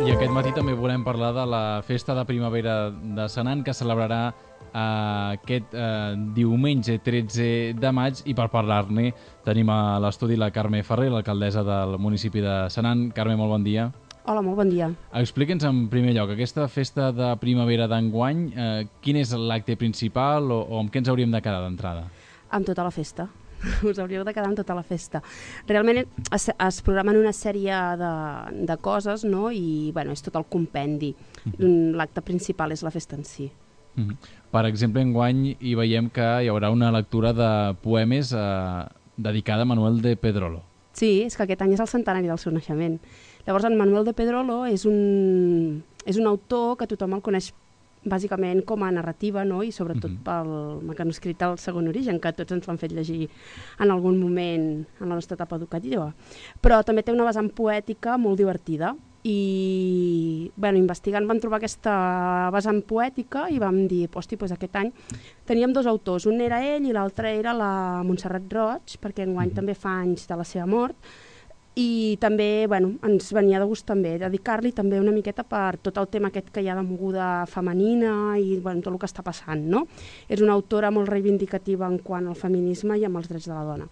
Speaker 3: I aquest matí també volem parlar de la festa de primavera de Senan, que celebrarà eh, aquest eh, diumenge tretze de maig, i per parlar-ne tenim a l'estudi la Carme Ferrer, l'alcaldessa del municipi de Senan. Carme, molt bon dia.
Speaker 10: Hola, molt bon dia.
Speaker 3: Explica'ns en primer lloc, aquesta festa de primavera d'enguany, eh, quin és l'acte principal o, o amb què ens hauríem de quedar d'entrada?
Speaker 10: Amb tota la festa. Us hauríeu de quedar amb tota la festa. Realment es, es programen una sèrie de, de coses, no? I bueno, és tot el compendi. Mm-hmm. L'acte principal és la festa en si.
Speaker 3: Mm-hmm. Per exemple, enguany hi veiem que hi haurà una lectura de poemes eh, dedicada a Manuel de Pedrolo.
Speaker 10: Sí, és que aquest any és el centenari del seu naixement. Llavors, en Manuel de Pedrolo és un, és un autor que tothom el coneix bàsicament com a narrativa, no? I sobretot uh-huh. pel mecanoscrit del Segon Origen, que tots ens l'han fet llegir en algun moment en la nostra etapa educativa. Però també té una vessant poètica molt divertida i bueno, investigant vam trobar aquesta vessant poètica i vam dir, hosti, doncs aquest any teníem dos autors, un era ell i l'altre era la Montserrat Roig, perquè enguany uh-huh. també fa anys de la seva mort. I també bueno, ens venia de gust també dedicar-li també una miqueta per tot el tema aquest que hi ha de moguda femenina i bueno, tot el que està passant. No? És una autora molt reivindicativa en quant al feminisme i amb els drets de la dona.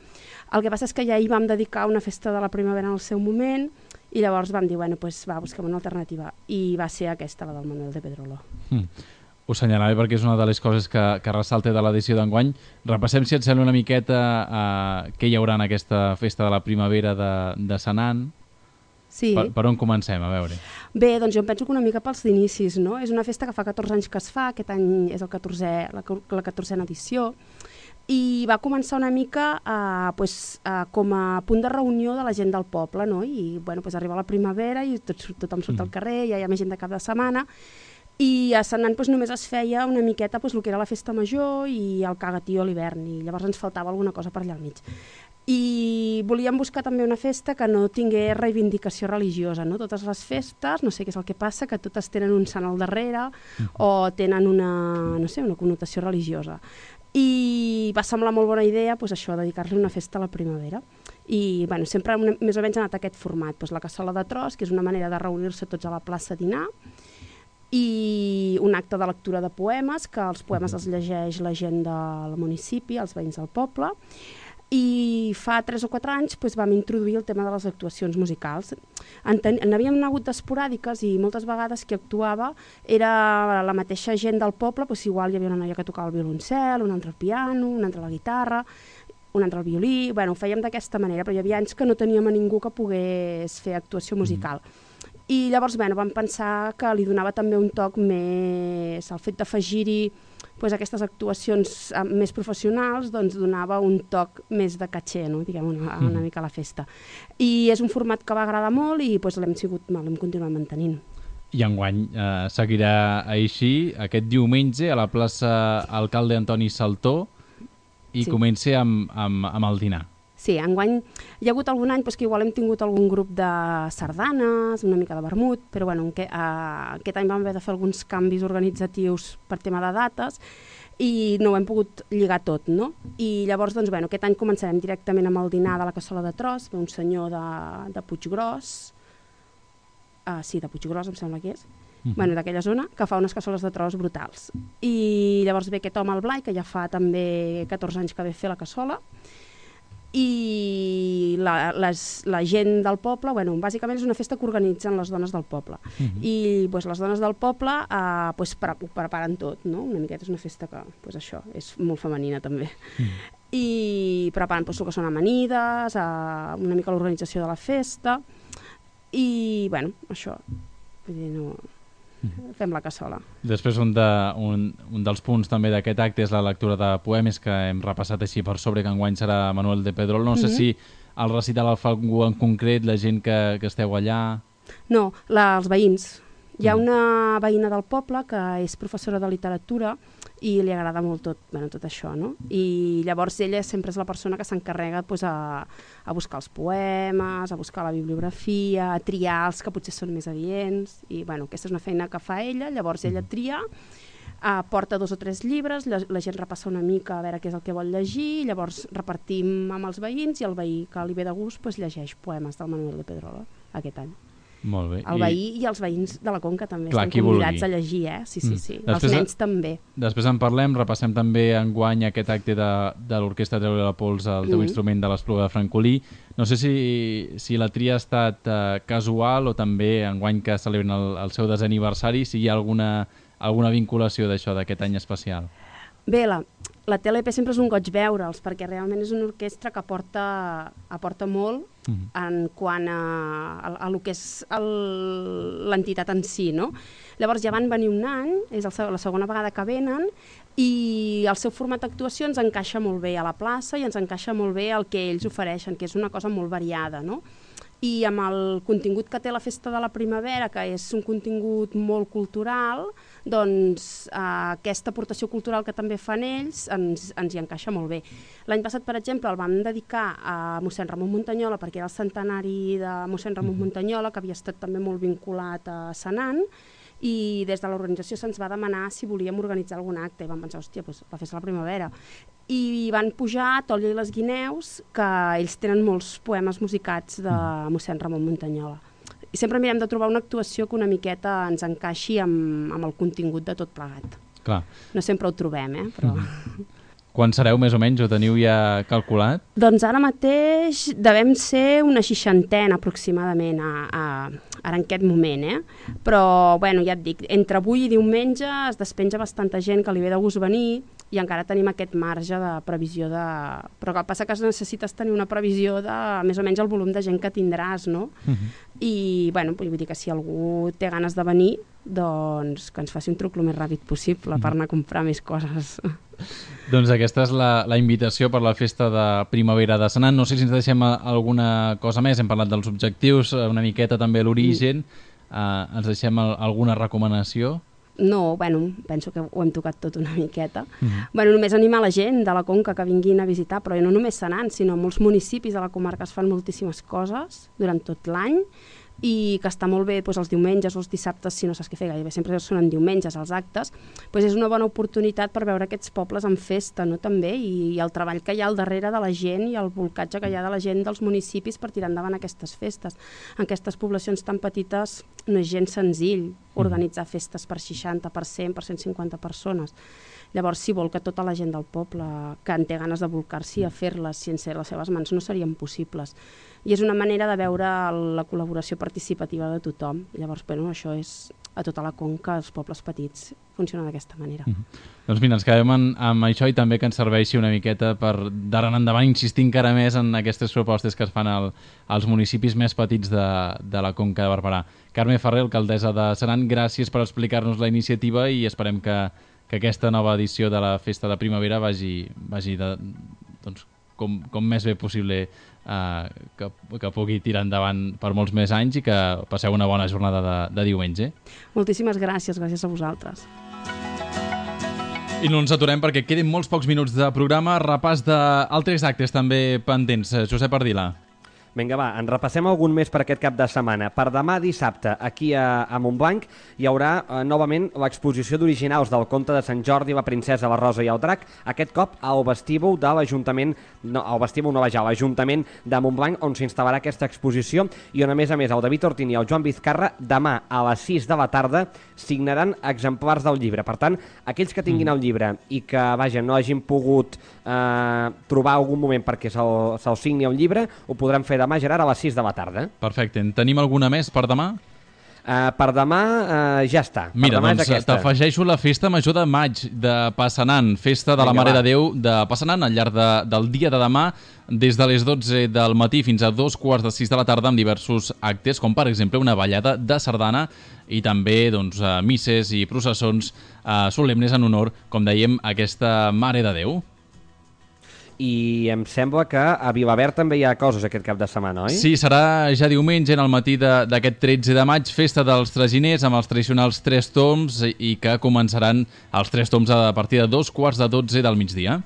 Speaker 10: El que passa és que ja hi vam dedicar una festa de la primavera en el seu moment i llavors vam dir, bueno, pues va, busquem una alternativa. I va ser aquesta, la del Manuel de Pedrolo. Mm.
Speaker 3: Ho assenyalava perquè és una de les coses que, que ressalta de l'edició d'enguany. Repassem, si et sembla, una miqueta eh, què hi haurà en aquesta festa de la primavera de, de Senan.
Speaker 10: Sí.
Speaker 3: Per, per on comencem? A veure.
Speaker 10: Bé, doncs jo em penso que una mica pels inicis, no? És una festa que fa catorze anys que es fa, aquest any és el catorzè, la, la catorzena edició, i va començar una mica eh, pues, eh, com a punt de reunió de la gent del poble, no? I bueno, pues arriba la primavera i tot, tothom surt mm. al carrer, ja hi ha més gent de cap de setmana, i a Senan pues, només es feia una miqueta pues, el que era la festa major i el cagatío a l'hivern, i llavors ens faltava alguna cosa per allà al mig. I volíem buscar també una festa que no tingués reivindicació religiosa, no? Totes les festes, no sé què és el que passa, que totes tenen un sant al darrere o tenen una, no sé, una connotació religiosa. I va semblar molt bona idea pues, això, dedicar-li una festa a la primavera. I bueno, sempre una, més o menys ha anat aquest format, pues, la cassola de tros, que és una manera de reunir-se tots a la plaça a dinar, i un acte de lectura de poemes, que els poemes els llegeix la gent del municipi, els veïns del poble, i fa tres o quatre anys doncs, vam introduir el tema de les actuacions musicals. En n'havíem hagut d'esporàdiques i moltes vegades qui actuava era la mateixa gent del poble, doncs igual hi havia una noia que tocava el violoncel, una altra el piano, una altra la guitarra, un altre al violí, bueno, ho fèiem d'aquesta manera, però hi havia anys que no teníem a ningú que pogués fer actuació musical. Mm. I llavors, bueno, vam pensar que li donava també un toc més, el fet d'afegir-hi pues, aquestes actuacions més professionals, doncs donava un toc més de caché, no? Diguem, una, una mica a la festa. I és un format que va agradar molt i pues, l'hem sigut, l'hem continuat mantenint.
Speaker 3: I enguany eh, seguirà així, aquest diumenge a la plaça Alcalde Antoni Saltó, i sí. Comenci amb, amb, amb el dinar.
Speaker 10: Sí, enguany hi ha hagut algun any pues, que igual hem tingut algun grup de sardanes, una mica de vermut, però bueno, que, uh, aquest any vam haver de fer alguns canvis organitzatius per tema de dates i no ho hem pogut lligar tot, no? I llavors, doncs, bueno, aquest any començarem directament amb el dinar de la Cassola de Tros, un senyor de, de Puiggròs, uh, sí, de Puiggròs em sembla que és, Uh-huh. Bueno, d'aquella zona, que fa unes cassoles de tros brutals. I llavors ve aquest home, el Blai, que ja fa també catorze anys que ve fer la cassola, i la, les, la gent del poble, bueno, bàsicament és una festa que organitzen les dones del poble. Uh-huh. I pues, les dones del poble eh, pues, pre preparen tot, no? Una miqueta és una festa que, pues, això, és molt femenina també. Uh-huh. I preparen pues, el que són amanides, eh, una mica l'organització de la festa, i, bueno, això, vull dir, no... fem la cassola.
Speaker 3: Després un, de, un, un dels punts també d'aquest acte és la lectura de poemes que hem repassat així per sobre, que enguany serà Manuel de Pedrol. No sé mm-hmm. si el recital el fa algú en concret, la gent que, que esteu allà...
Speaker 10: No, la, els veïns. Hi ha una veïna del poble que és professora de literatura i li agrada molt tot, bueno, tot això, no? I llavors ella sempre és la persona que s'encarrega pues, a, a buscar els poemes, a buscar la bibliografia, a triar els que potser són més adients, i bueno, aquesta és una feina que fa ella, llavors ella tria, uh, porta dos o tres llibres, la, la gent repassa una mica a veure què és el que vol llegir, llavors repartim amb els veïns i el veí que li ve de gust pues, llegeix poemes del Manuel de Pedrolo aquest any.
Speaker 3: Molt bé.
Speaker 10: El veí I... i els veïns de la Conca també Clar, estan convidats vulgui. a llegir, eh? Sí, sí, sí. Mm. Els nens també.
Speaker 3: Després en parlem, repassem també enguany aquest acte de, de l'Orquestra Treure la Pols, el teu mm. instrument de l'Espluga de Francolí. No sé si, si la tria ha estat uh, casual o també enguany que celebren el, el seu desè aniversari, si hi ha alguna, alguna vinculació d'això, d'aquest any especial.
Speaker 10: Bé, la, la T L P sempre és un goig veure'ls, perquè realment és una orquestra que aporta, aporta molt uh-huh. en quant a, a, a lo que és l'entitat en si, no? Llavors ja van venir un any, és el, la segona vegada que venen, i el seu format d'actuació ens encaixa molt bé a la plaça i ens encaixa molt bé el que ells ofereixen, que és una cosa molt variada, no? I amb el contingut que té la Festa de la Primavera, que és un contingut molt cultural, doncs eh, aquesta aportació cultural que també fan ells ens, ens hi encaixa molt bé. L'any passat, per exemple, el vam dedicar a mossèn Ramon Muntanyola, perquè era el centenari de mossèn Ramon Muntanyola, que havia estat també molt vinculat a Senan, i des de l'organització se'ns va demanar si volíem organitzar algun acte, i vam pensar, hòstia, doncs la Festa de la Primavera. I van pujar Tòlia i les Guineus, que ells tenen molts poemes musicats de mossèn Ramon Muntanyola. I sempre mirem de trobar una actuació que una miqueta ens encaixi amb, amb el contingut de tot plegat.
Speaker 3: Clar.
Speaker 10: No sempre ho trobem, eh? Però... Mm.
Speaker 3: Quan sereu més o menys? Ho teniu ja calculat?
Speaker 10: Doncs ara mateix devem ser una seixantena aproximadament a, a, ara en aquest moment, eh? Però, bueno, ja et dic, entre avui i diumenge es despenja bastanta gent que li ve de gust venir i encara tenim aquest marge de previsió de... Però el que passa que necessites tenir una previsió de més o menys el volum de gent que tindràs, no? Uh-huh. I, bueno, vull dir que si algú té ganes de venir, doncs que ens faci un truc el més ràpid possible uh-huh. per anar a comprar més coses.
Speaker 3: Doncs aquesta és la, la invitació per la Festa de Primavera de Senan. No sé si ens deixem alguna cosa més. Hem parlat dels objectius, una miqueta també l'origen. Uh, ens deixem alguna recomanació?
Speaker 10: No, bueno, penso que ho hem tocat tot una miqueta. Uh-huh. Bueno, només animar la gent de la Conca que vinguin a visitar, però no només Senan, sinó molts municipis de la comarca es fan moltíssimes coses durant tot l'any, i que està molt bé doncs, els diumenges o els dissabtes, si no saps què fer, gairebé sempre són en diumenges els actes, doncs és una bona oportunitat per veure aquests pobles en festa, no? També, i, i el treball que hi ha al darrere de la gent i el volcatge que hi ha de la gent dels municipis per tirar endavant aquestes festes. En aquestes poblacions tan petites no és gens senzill organitzar festes per seixanta, per cent, per cent cinquanta persones. Llavors, si vol que tota la gent del poble que en té ganes de volcar-s'hi a fer-les sense les seves mans no serien possibles. I és una manera de veure la col·laboració participativa de tothom. Llavors, bueno, això és a tota la conca, als pobles petits, funciona d'aquesta manera.
Speaker 3: Mm-hmm. Doncs mira, ens quedem en, amb això i també que ens serveixi una miqueta per d'ara en endavant insistir encara més en aquestes propostes que es fan al, als municipis més petits de, de la Conca de Barberà. Carme Ferrer, alcaldessa de Senan, gràcies per explicar-nos la iniciativa i esperem que, que aquesta nova edició de la Festa de Primavera vagi, vagi de, doncs, com, com més bé possible, eh, que, que pugui tirar endavant per molts més anys i que passeu una bona jornada de, de diumenge.
Speaker 10: Moltíssimes gràcies, gràcies a vosaltres.
Speaker 3: I no ens aturem perquè queden molts pocs minuts de programa. Repàs d'altres actes també pendents. Josep Ardila.
Speaker 4: Vinga, va, en repassem algun més per aquest cap de setmana. Per demà dissabte, aquí a, a Montblanc, hi haurà eh, novament l'exposició d'originals del conte de Sant Jordi, la princesa, la rosa i el drac, aquest cop al vestíbul de l'Ajuntament, no, al vestíbul no vaja, l'Ajuntament de Montblanc, on s'instal·larà aquesta exposició i on, a més a més, el David Ortín i el Joan Vizcarra, demà a les sis de la tarda, signaran exemplars del llibre. Per tant, aquells que tinguin el llibre i que, vaja, no hagin pogut eh, trobar algun moment perquè se'l se signi el llibre, ho podran fer demà, Gerard, a les sis de la tarda.
Speaker 3: Perfecte. En tenim alguna més per demà?
Speaker 4: Uh, per demà uh, ja està. Per
Speaker 3: Mira,
Speaker 4: demà
Speaker 3: doncs t'afegeixo la Festa Major de Maig de Passanant, Festa de
Speaker 4: Vinga,
Speaker 3: la Mare
Speaker 4: va.
Speaker 3: de Déu de Passanant, al llarg de, del dia de demà, des de les dotze del matí fins a dos quarts de sis de la tarda, amb diversos actes, com per exemple una ballada de sardana i també doncs, uh, misses i processons uh, solemnes en honor, com dèiem, a aquesta Mare de Déu.
Speaker 4: I em sembla que a Vilaverd també hi ha coses aquest cap de setmana, oi?
Speaker 3: Sí, serà ja diumenge, en el matí d'aquest tretze de maig, Festa dels Traginers, amb els tradicionals tres tombs i que començaran els tres tombs a partir de dos quarts de dotze del migdia.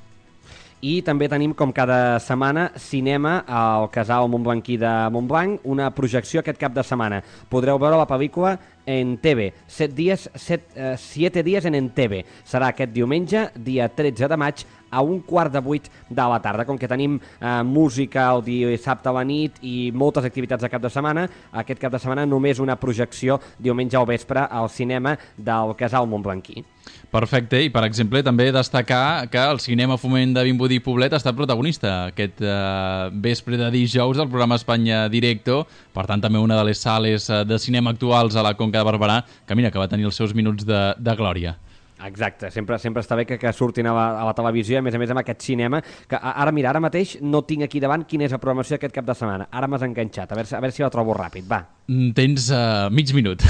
Speaker 4: I també tenim, com cada setmana, cinema al Casal Montblanquí de Montblanc, una projecció aquest cap de setmana. Podreu veure la pel·lícula en T V, set dies, set, eh, siete dies en en T V. Serà aquest diumenge, dia tretze de maig, a un quart de vuit de la tarda. Com que tenim eh, música el dissabte a la nit i moltes activitats de cap de setmana, aquest cap de setmana només una projecció diumenge al vespre al cinema del Casal Montblanquí.
Speaker 3: Perfecte, i per exemple també destacar que el Cinema Foment de Vimbodí i Poblet ha estat protagonista aquest eh, vespre de dijous del programa Espanya Directo, per tant també una de les sales de cinema actuals a la Conca de Barberà, que mira, que va tenir els seus minuts de, de glòria.
Speaker 4: Exacte, sempre, sempre està bé que, que surtin a la, a la televisió, a més a més amb aquest cinema, que ara, mira, ara mateix no tinc aquí davant quina és la programació aquest cap de setmana. Ara m'has enganxat, a veure, a veure si la trobo ràpid, va.
Speaker 3: Tens uh, mig minut.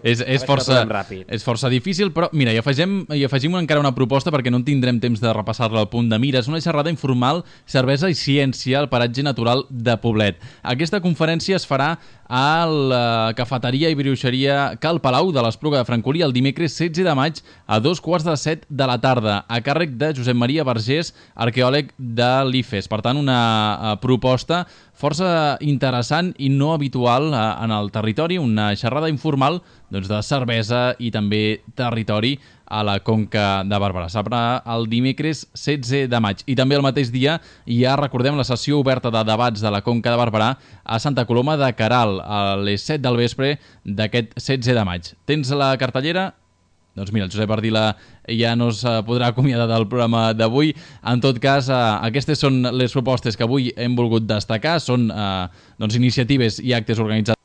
Speaker 3: és, és, força, és força difícil, però mira, hi afegim, hi afegim encara una proposta perquè no en tindrem temps de repassar-la al punt de mira. És una xerrada informal, cervesa i ciència al paratge natural de Poblet. Aquesta conferència es farà a la cafeteria i bruixeria Cal Palau de l'Espluga de Francolí el dimecres setze de maig a dos quarts de set de la tarda, a càrrec de Josep Maria Vergés, arqueòleg de l'I F E S. Per tant, una proposta força interessant i no habitual en el territori, una xerrada informal doncs, de cervesa i també territori a la Conca de Barberà. Serà el dimecres setze de maig. I també el mateix dia hi ha, recordem, la sessió oberta de debats de la Conca de Barberà a Santa Coloma de Queralt, a les set del vespre d'aquest setze de maig. Tens la cartellera? Doncs mira, el Josep Ardila ja no es podrà acomiadar del programa d'avui. En tot cas, eh, aquestes són les propostes que avui hem volgut destacar. Són eh, doncs, iniciatives i actes organitzats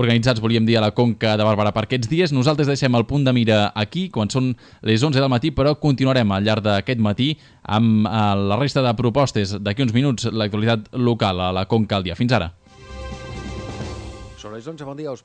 Speaker 3: organitzats, volíem dir, a la Conca de Barberà per aquests dies. Nosaltres deixem el punt de mira aquí, quan són les onze del matí, però continuarem al llarg d'aquest matí amb eh, la resta de propostes. D'aquí uns minuts, l'actualitat local a la Conca al dia. Fins ara.
Speaker 11: Són les onze, bon dia, us